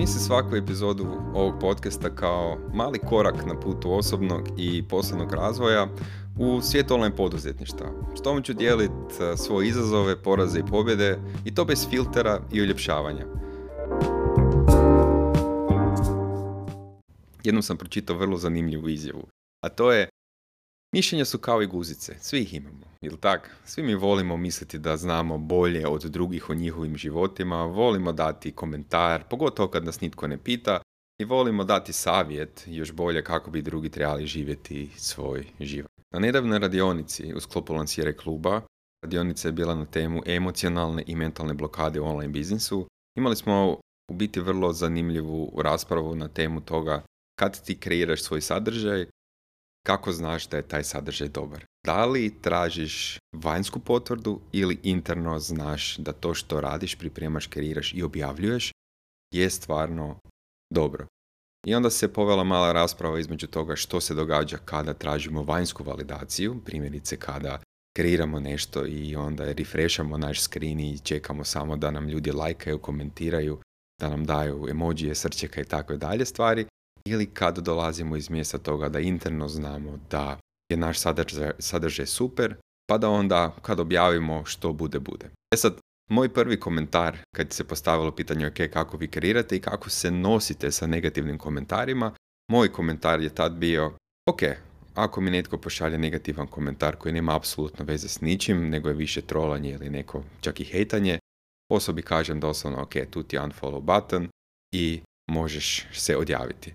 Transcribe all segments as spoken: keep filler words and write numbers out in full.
Zamisli svaku epizodu ovog podcasta kao mali korak na putu osobnog i poslovnog razvoja u svijet online poduzetništva. S tom ću dijeliti svoje izazove, poraze i pobjede i to bez filtera i uljepšavanja. Jednom sam pročitao vrlo zanimljivu izjavu, a to je: mišljenja su kao i guzice, svi ih imamo, jel tak? Svi mi volimo misliti da znamo bolje od drugih o njihovim životima, volimo dati komentar, pogotovo kad nas nitko ne pita, i volimo dati savjet, još bolje kako bi drugi trebali živjeti svoj život. Na nedavnoj radionici u sklopu Lansiraj kluba, radionica je bila na temu emocionalne i mentalne blokade u online biznisu. Imali smo u biti vrlo zanimljivu raspravu na temu toga kad ti kreiraš svoj sadržaj, kako znaš da je taj sadržaj dobar. Da li tražiš vanjsku potvrdu ili interno znaš da to što radiš, pripremaš, kreiraš i objavljuješ je stvarno dobro. I onda se povela mala rasprava između toga što se događa kada tražimo vanjsku validaciju, primjerice kada kreiramo nešto i onda refreshamo naš screen i čekamo samo da nam ljudi lajkaju, komentiraju, da nam daju emojije, srčeka i tako dalje stvari. Ili kad dolazimo iz mjesta toga da interno znamo da je naš sadržaj, sadržaj super, pa da onda kad objavimo što bude, bude. E sad, moj prvi komentar kad se postavilo pitanje ok, kako vi kreirate i kako se nosite sa negativnim komentarima, moj komentar je tad bio ok, ako mi netko pošalje negativan komentar koji nema apsolutno veze s ničim, nego je više trolanje ili neko čak i hejtanje, osobi kažem doslovno ok, tu ti je unfollow button i možeš se odjaviti.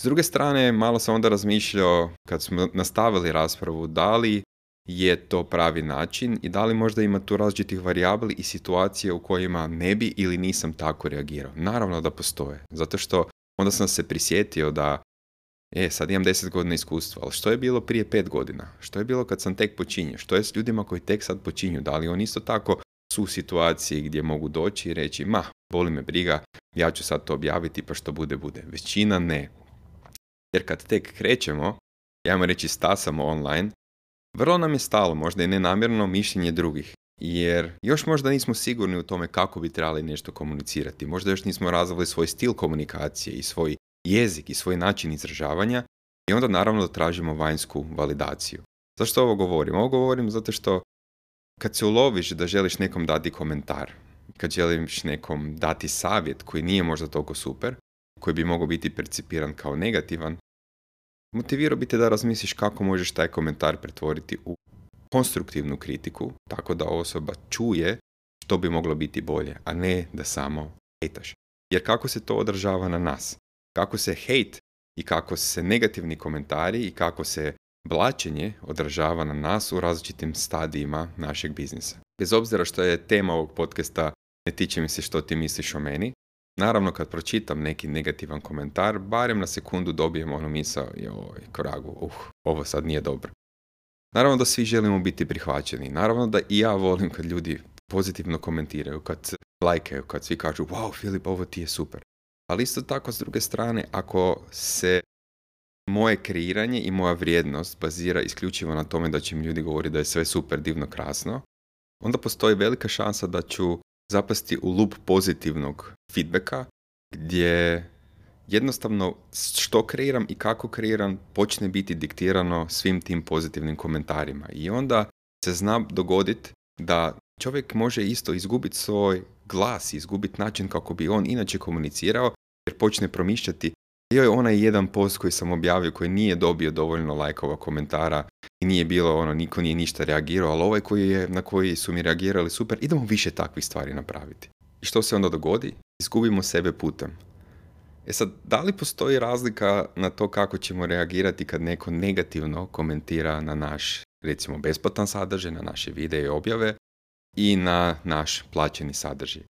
S druge strane, malo sam onda razmišljao, kad smo nastavili raspravu, da li je to pravi način i da li možda ima tu različitih varijabli i situacije u kojima ne bi ili nisam tako reagirao. Naravno da postoje, zato što onda sam se prisjetio da e, sad imam deset godina iskustva, ali što je bilo prije pet godina? Što je bilo kad sam tek počinio? Što je s ljudima koji tek sad počinju? Da li oni isto tako su u situaciji gdje mogu doći i reći ma, boli me briga, ja ću sad to objaviti pa što bude, bude. Većina ne. Jer kad tek krećemo, ajmo reći stasamo online, vrlo nam je stalo, možda i nenamjerno, mišljenje drugih. Jer još možda nismo sigurni u tome kako bi trebali nešto komunicirati. Možda još nismo razvili svoj stil komunikacije i svoj jezik i svoj način izražavanja i onda naravno da tražimo vanjsku validaciju. Zašto ovo govorim? Ovo govorim zato što kad se uloviš da želiš nekom dati komentar, kad želiš nekom dati savjet koji nije možda toliko super, koji bi mogao biti percipiran kao negativan, motivirao bi te da razmisliš kako možeš taj komentar pretvoriti u konstruktivnu kritiku, tako da osoba čuje što bi moglo biti bolje, a ne da samo hejtaš. Jer kako se to odražava na nas? Kako se hejt i kako se negativni komentari i kako se blaćenje odražava na nas u različitim stadijima našeg biznisa. Bez obzira što je tema ovog podcasta ne tiče mi se što ti misliš o meni, naravno kad pročitam neki negativan komentar, barem na sekundu dobijem onu misao, joj, koragu, uh, ovo sad nije dobro. Naravno da svi želimo biti prihvaćeni, naravno da i ja volim kad ljudi pozitivno komentiraju, kad lajkaju, kad svi kažu, wow, Filip, ovo ti je super. Ali isto tako s druge strane, ako se moje kreiranje i moja vrijednost bazira isključivo na tome da će mi ljudi govoriti da je sve super, divno, krasno, onda postoji velika šansa da ću zapasti u lup pozitivnog feedbacka gdje jednostavno što kreiram i kako kreiram počne biti diktirano svim tim pozitivnim komentarima. I onda se zna dogoditi da čovjek može isto izgubiti svoj glas, izgubiti način kako bi on inače komunicirao jer počne promišljati joj, onaj jedan post koji sam objavio koji nije dobio dovoljno lajkova, komentara i nije bilo ono, niko nije ništa reagirao, ali ovaj koji je, na koji su mi reagirali super, idemo više takvih stvari napraviti. I što se onda dogodi? Izgubimo sebe putem. E sad, da li postoji razlika na to kako ćemo reagirati kad neko negativno komentira na naš, recimo, besplatan sadržaj, na naše videe i objave i na naš plaćeni sadržaj?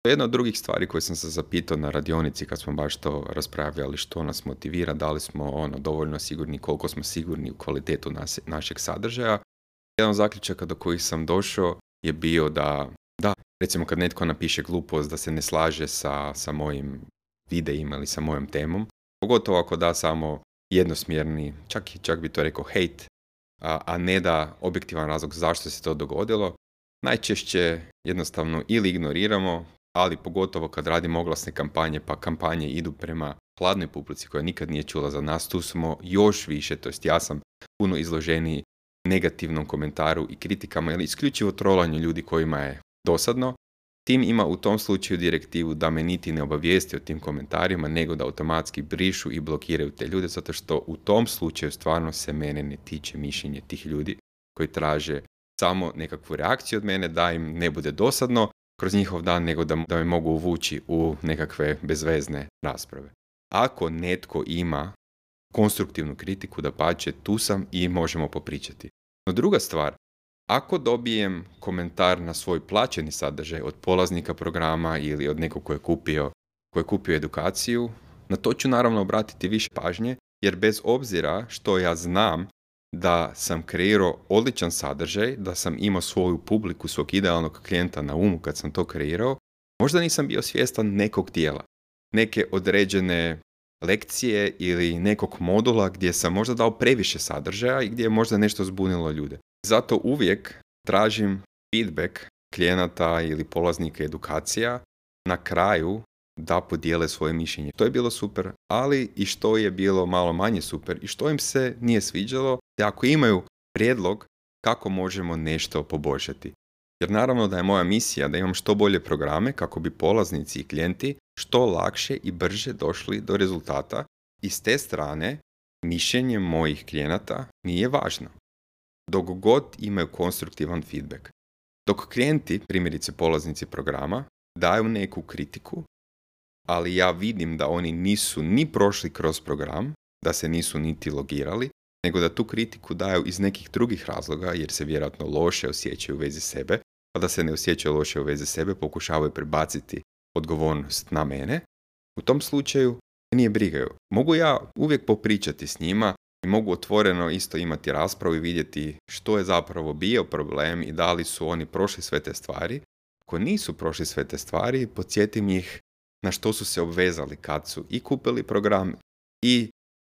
To je jedna od drugih stvari koje sam se zapitao na radionici kad smo baš to raspravljali, što nas motivira, da li smo ono, dovoljno sigurni, koliko smo sigurni u kvalitetu nas, našeg sadržaja. Jedan od zaključaka do kojih sam došao je bio da, da, recimo kad netko napiše glupost da se ne slaže sa, sa mojim videima ili sa mojom temom, pogotovo ako da samo jednosmjerni, čak, čak bi to rekao hejt, a, a ne da objektivan razlog zašto se to dogodilo, najčešće jednostavno ili ignoriramo, ali pogotovo kad radim oglasne kampanje, pa kampanje idu prema hladnoj publici koja nikad nije čula za nas, tu smo još više, to jest ja sam puno izloženiji negativnom komentaru i kritikama ili isključivo trolanju ljudi kojima je dosadno. Tim ima u tom slučaju direktivu da me niti ne obavijesti o tim komentarima, nego da automatski brišu i blokiraju te ljude, zato što u tom slučaju stvarno se mene ne tiče mišljenje tih ljudi koji traže samo nekakvu reakciju od mene, da im ne bude dosadno kroz njihov dan, nego da, da me mogu uvući u nekakve bezvezne rasprave. Ako netko ima konstruktivnu kritiku, dapače, tu sam i možemo popričati. No druga stvar, ako dobijem komentar na svoj plaćeni sadržaj od polaznika programa ili od nekog ko je kupio, ko je kupio edukaciju, na to ću naravno obratiti više pažnje, jer bez obzira što ja znam da sam kreirao odličan sadržaj, da sam imao svoju publiku, svog idealnog klijenta na umu kad sam to kreirao, možda nisam bio svjestan nekog dijela, neke određene lekcije ili nekog modula gdje sam možda dao previše sadržaja i gdje je možda nešto zbunilo ljude. Zato uvijek tražim feedback klijenata ili polaznika edukacija na kraju da podijele svoje mišljenje. To je bilo super, ali i što je bilo malo manje super i što im se nije sviđalo, te ako imaju prijedlog kako možemo nešto poboljšati. Jer naravno da je moja misija da imam što bolje programe kako bi polaznici i klijenti što lakše i brže došli do rezultata i s te strane mišljenje mojih klijenata nije važno. Dok god imaju konstruktivan feedback. Dok klijenti, primjerice polaznici programa, daju neku kritiku, ali ja vidim da oni nisu ni prošli kroz program, da se nisu niti logirali, nego da tu kritiku daju iz nekih drugih razloga, jer se vjerojatno loše osjećaju u vezi sebe, pa da se ne osjećaju loše u vezi sebe, pokušavaju prebaciti odgovornost na mene. U tom slučaju nije brigaju. Mogu ja uvijek popričati s njima i mogu otvoreno isto imati raspravu i vidjeti što je zapravo bio problem i da li su oni prošli sve te stvari. Ako nisu prošli sve te stvari, podsjetim ih na što su se obvezali kad su i kupili program i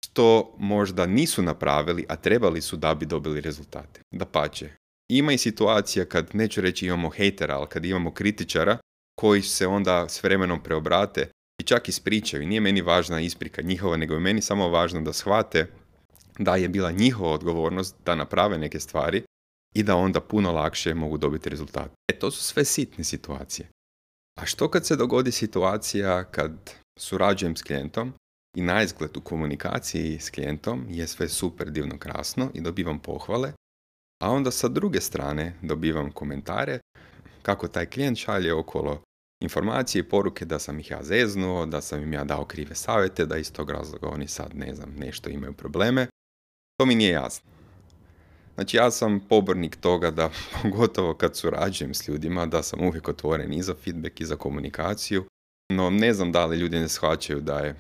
što možda nisu napravili, a trebali su da bi dobili rezultate. Dapače, ima i situacija kad, neću reći imamo hejtera, ali kad imamo kritičara koji se onda s vremenom preobrate i čak ispričaju. Nije meni važna isprika njihova, nego je meni samo važno da shvate da je bila njihova odgovornost da naprave neke stvari i da onda puno lakše mogu dobiti rezultat. E, to su sve sitne situacije. A što kad se dogodi situacija kad surađujem s klijentom i naizgled u komunikaciji s klijentom je sve super divno krasno i dobivam pohvale, a onda sa druge strane dobivam komentare kako taj klijent šalje okolo informacije i poruke da sam ih ja zeznuo, da sam im ja dao krive savjete, da iz tog razloga oni sad, ne znam, nešto imaju probleme. To mi nije jasno. Znači, ja sam pobornik toga da, pogotovo kad surađujem s ljudima, da sam uvijek otvoren i za feedback i za komunikaciju, no ne znam da li ljudi ne shvaćaju da je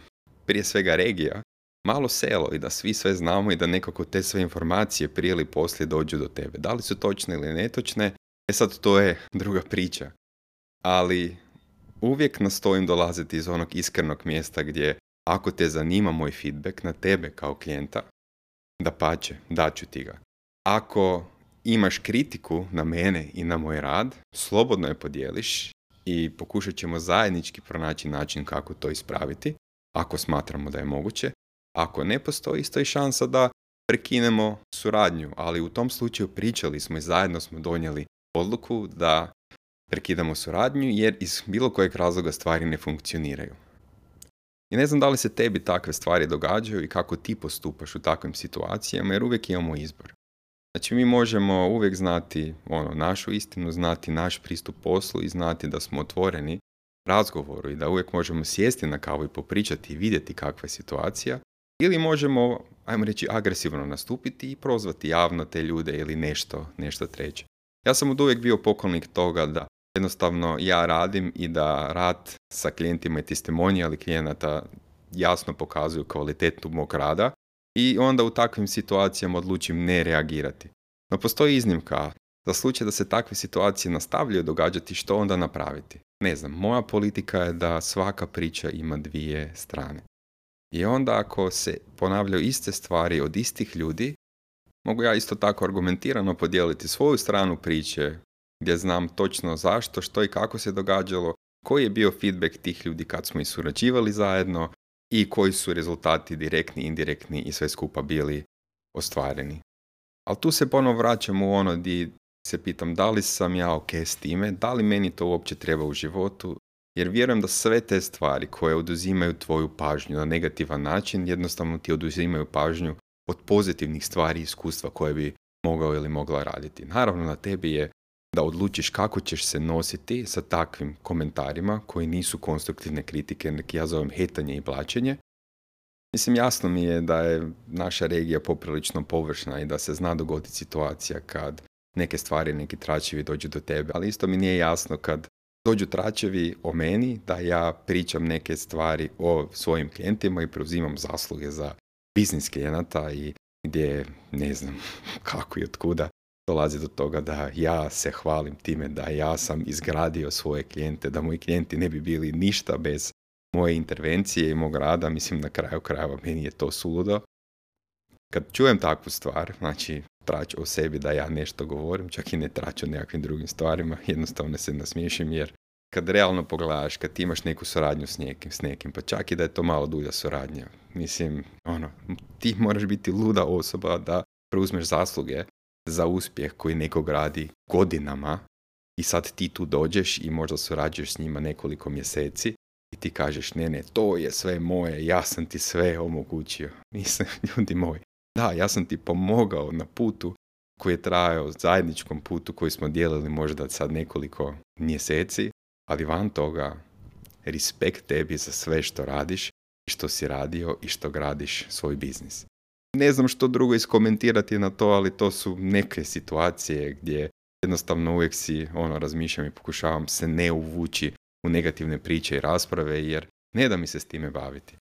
prije svega regija malo selo i da svi sve znamo i da nekako te sve informacije prije ili poslije dođu do tebe. Da li su točne ili netočne, e sad to je druga priča. Ali uvijek nastojim dolaziti iz onog iskrenog mjesta gdje ako te zanima moj feedback na tebe kao klijenta, dapače, daću ti ga. Ako imaš kritiku na mene i na moj rad, slobodno je podijeliš i pokušat ćemo zajednički pronaći način kako to ispraviti, ako smatramo da je moguće. Ako ne postoji, isto i šansa da prekinemo suradnju, ali u tom slučaju pričali smo i zajedno smo donijeli odluku da prekidamo suradnju jer iz bilo kojeg razloga stvari ne funkcioniraju. I ne znam da li se tebi takve stvari događaju i kako ti postupaš u takvim situacijama, jer uvijek imamo izbor. Znači, mi možemo uvijek znati ono, našu istinu, znati naš pristup poslu i znati da smo otvoreni razgovoru i da uvijek možemo sjesti na kavu i popričati i vidjeti kakva je situacija. Ili možemo, ajmo reći, agresivno nastupiti i prozvati javno te ljude ili nešto, nešto treće. Ja sam od uvijek bio pokolnik toga da jednostavno ja radim i da rad sa klijentima i testimonijali klijenata jasno pokazuju kvalitetu mog rada i onda u takvim situacijama odlučim ne reagirati. No postoji iznimka. Za slučaj da se takve situacije nastavljaju događati, što onda napraviti? Ne znam, moja politika je da svaka priča ima dvije strane. I onda ako se ponavljaju iste stvari od istih ljudi, mogu ja isto tako argumentirano podijeliti svoju stranu priče, gdje znam točno zašto, što i kako se događalo, koji je bio feedback tih ljudi kad smo i surađivali zajedno i koji su rezultati direktni, indirektni i sve skupa bili ostvareni. Ali tu se ponovno vraćam u ono di se pitam da li sam ja ok s time, da li meni to uopće treba u životu, jer vjerujem da sve te stvari koje oduzimaju tvoju pažnju na negativan način, jednostavno ti oduzimaju pažnju od pozitivnih stvari i iskustva koje bi mogao ili mogla raditi. Naravno, na tebi je da odlučiš kako ćeš se nositi sa takvim komentarima koji nisu konstruktivne kritike, neki ja zovem hetanje i blaćenje. Mislim, jasno mi je da je naša regija poprilično površna i da se zna dogoditi situacija kad neke stvari, neki tračevi dođu do tebe, ali isto mi nije jasno kad dođu tračevi o meni, da ja pričam neke stvari o svojim klijentima i preuzimam zasluge za biznis klijenata i gdje ne znam kako i otkuda dolazi do toga da ja se hvalim time da ja sam izgradio svoje klijente, da moji klijenti ne bi bili ništa bez moje intervencije i mog rada. Mislim, na kraju krajeva meni je to suludo. Kad čujem takvu stvar, znači trač o sebi da ja nešto govorim, čak i ne trač o nekakvim drugim stvarima, jednostavno se nasmiješim jer kad realno pogledaš, kad ti imaš neku suradnju s nekim, s nekim, pa čak i da je to malo dulja suradnja, mislim, ono, ti moraš biti luda osoba da preuzmeš zasluge za uspjeh koji nekog radi godinama i sad ti tu dođeš i možda surađuješ s njima nekoliko mjeseci i ti kažeš ne, ne, to je sve moje, ja sam ti sve omogućio. Mislim, ljudi moji, da, ja sam ti pomogao na putu koji je trajao, zajedničkom putu koji smo dijelili možda sad nekoliko mjeseci, ali van toga, respekt tebi za sve što radiš i što si radio i što gradiš svoj biznis. Ne znam što drugo iskomentirati na to, ali to su neke situacije gdje jednostavno uvijek si ono, razmišljam i pokušavam se ne uvući u negativne priče i rasprave, jer ne da mi se s time baviti.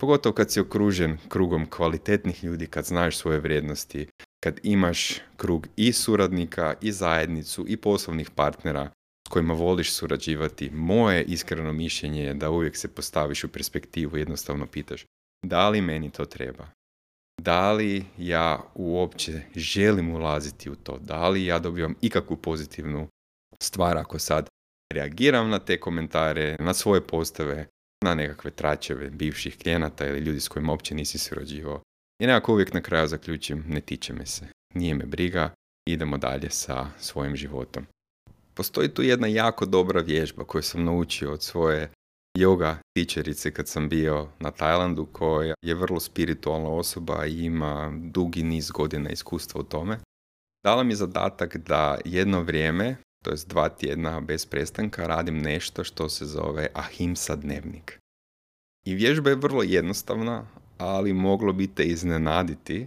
Pogotovo kad si okružen krugom kvalitetnih ljudi, kad znaš svoje vrijednosti, kad imaš krug i suradnika, i zajednicu, i poslovnih partnera s kojima voliš surađivati. Moje iskreno mišljenje je da uvijek se postaviš u perspektivu i jednostavno pitaš da li meni to treba? Da li ja uopće želim ulaziti u to? Da li ja dobivam ikakvu pozitivnu stvar ako sad reagiram na te komentare, na svoje postave, na nekakve tračeve bivših klijenata ili ljudi s kojima uopće nisi surađivao? I nekako uvijek na kraju zaključim, ne tiče me se, nije me briga, idemo dalje sa svojim životom. Postoji tu jedna jako dobra vježba koju sam naučio od svoje yoga tičerice kad sam bio na Tajlandu, koja je vrlo spiritualna osoba i ima dugi niz godina iskustva u tome. Dala mi zadatak da jedno vrijeme, to jest dva tjedna bez prestanka, radim nešto što se zove Ahimsa dnevnik. I vježba je vrlo jednostavna, ali moglo bi te iznenaditi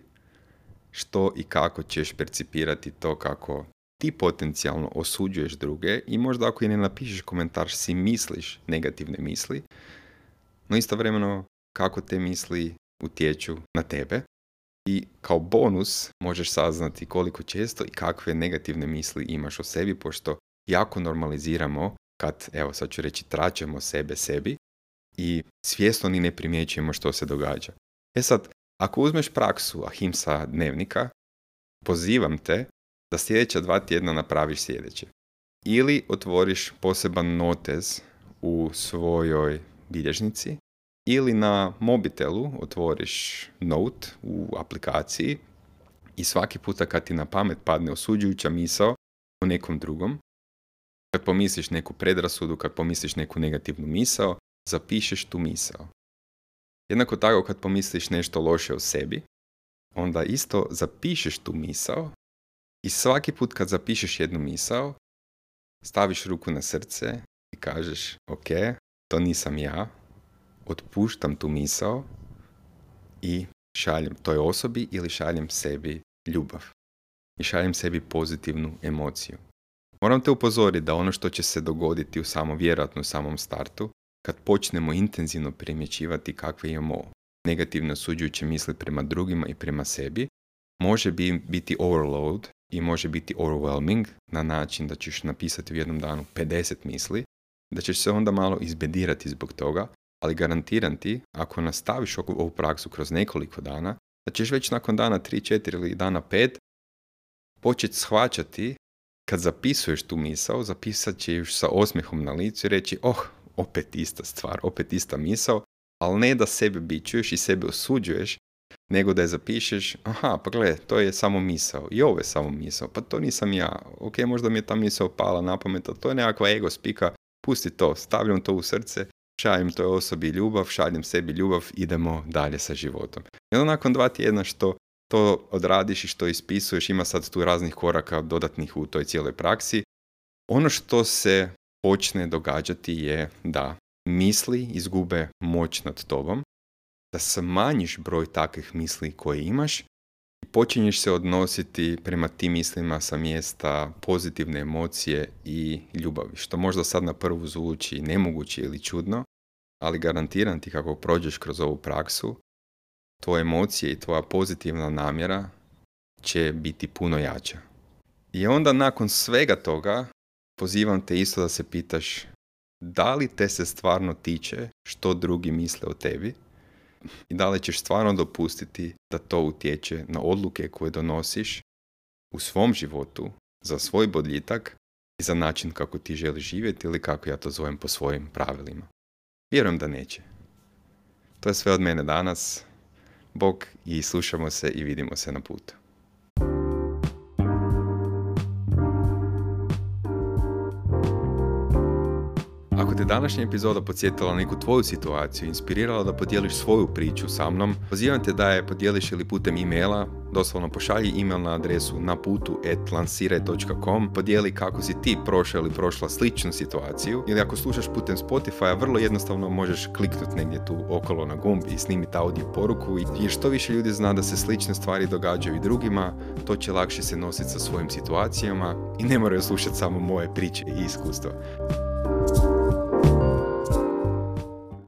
što i kako ćeš percipirati to kako ti potencijalno osuđuješ druge i možda ako i ne napišeš komentar si misliš negativne misli, no istovremeno kako te misli utječu na tebe i kao bonus možeš saznati koliko često i kakve negativne misli imaš o sebi, pošto jako normaliziramo kad, evo sad ću reći, tračemo sebe sebi i svjesno ni ne primjećujemo što se događa. E sad, ako uzmeš praksu Ahimsa dnevnika, pozivam te da sljedeća dva tjedna napraviš sljedeće. Ili otvoriš poseban notez u svojoj bilježnici, ili na mobitelu otvoriš note u aplikaciji i svaki puta kad ti na pamet padne osuđujuća misao o nekom drugom, kad pomisliš neku predrasudu, kad pomisliš neku negativnu misao, zapišeš tu misao. Jednako tako kad pomisliš nešto loše o sebi, onda isto zapišeš tu misao i svaki put kad zapišeš jednu misao, staviš ruku na srce i kažeš ok, to nisam ja, otpuštam tu misao i šaljem toj osobi ili šaljem sebi ljubav. I šaljem sebi pozitivnu emociju. Moram te upozoriti da ono što će se dogoditi u samom, vjerojatno u samom startu, kad počnemo intenzivno primjećivati kakve imamo negativne osuđujuće misli prema drugima i prema sebi, može biti overload i može biti overwhelming na način da ćeš napisati u jednom danu pedeset misli, da ćeš se onda malo izbedirati zbog toga, ali garantiram ti, ako nastaviš ovu praksu kroz nekoliko dana, da ćeš već nakon dana tri, četiri ili dana pet početi shvaćati kad zapisuješ tu misao, zapisat ćeš sa osmijehom na licu i reći, oh, opet ista stvar, opet ista misao, ali ne da sebe bičuješ i sebe osuđuješ, nego da je zapišeš, aha, pa gle, to je samo misao, i ovo je samo misao, pa to nisam ja, ok, možda mi je ta misao pala na pamet, ali to je nekakva ego spika, pusti to, stavljam to u srce, šaljem toj osobi ljubav, šaljem sebi ljubav, idemo dalje sa životom. I onda nakon dva tjedna što to odradiš i što ispisuješ, ima sad tu raznih koraka dodatnih u toj cijeloj praksi, ono što se počne događati je da misli izgube moć nad tobom, da smanjiš broj takvih misli koje imaš i počinješ se odnositi prema tim mislima sa mjesta pozitivne emocije i ljubavi, što možda sad na prvu zvuči nemoguće ili čudno, ali garantiram ti kako prođeš kroz ovu praksu, tvoje emocije i tvoja pozitivna namjera će biti puno jača. I onda nakon svega toga pozivam te isto da se pitaš da li te se stvarno tiče što drugi misle o tebi i da li ćeš stvarno dopustiti da to utječe na odluke koje donosiš u svom životu za svoj boljitak i za način kako ti želiš živjeti ili kako ja to zovem po svojim pravilima. Vjerujem da neće. To je sve od mene danas. Bog i slušamo se i vidimo se na putu. Ako te današnja epizoda podsjetila na neku tvoju situaciju, inspirirala da podijeliš svoju priču sa mnom, pozivam te da je podijeliš ili putem e-maila, doslovno pošalji e-mail na adresu naputu at lansiraj dot com, podijeli kako si ti prošao ili prošla sličnu situaciju, ili ako slušaš putem Spotify, vrlo jednostavno možeš kliknuti negdje tu okolo na gumb i snimiti audio poruku, jer što više ljudi zna da se slične stvari događaju i drugima, to će lakše se nositi sa svojim situacijama i ne moraju slušati samo moje priče i iskustva.